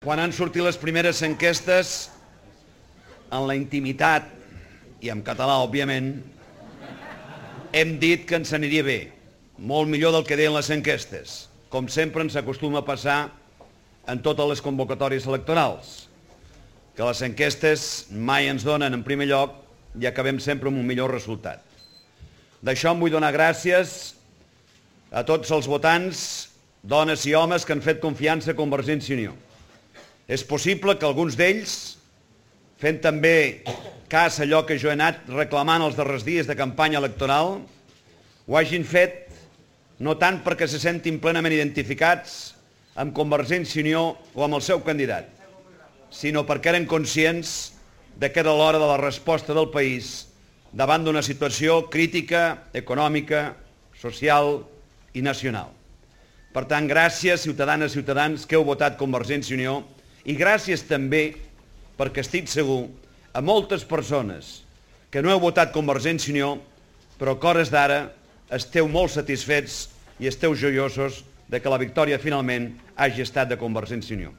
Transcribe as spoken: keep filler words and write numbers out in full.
Quan han sortit les primeres enquestes, en la intimitat, i en català, òbviament, hem dit que ens aniria bé, molt millor del que deien les enquestes, com sempre ens acostuma a passar en totes les convocatòries electorals, que les enquestes mai ens donen en primer lloc i acabem sempre amb un millor resultat. D'això em vull donar gràcies a tots els votants, dones i homes que han fet confiança a Convergència i Unió. És possible que alguns d'ells, fent també cas a allò que jo he anat reclamant els darrers dies de campanya electoral, ho hagin fet no tant perquè se sentin plenament identificats amb Convergència i Unió o amb el seu candidat, sinó perquè eren conscients de que era l'hora de la resposta del país davant d'una situació crítica, econòmica, social i nacional. Per tant, gràcies, ciutadanes i ciutadans, que heu votat Convergència i Unió, i gràcies també, perquè estic segur, a moltes persones que no heu votat Convergència i Unió, però que a hores d'ara esteu molt satisfets i esteu joiosos de que la victòria finalment hagi estat de Convergència i Unió.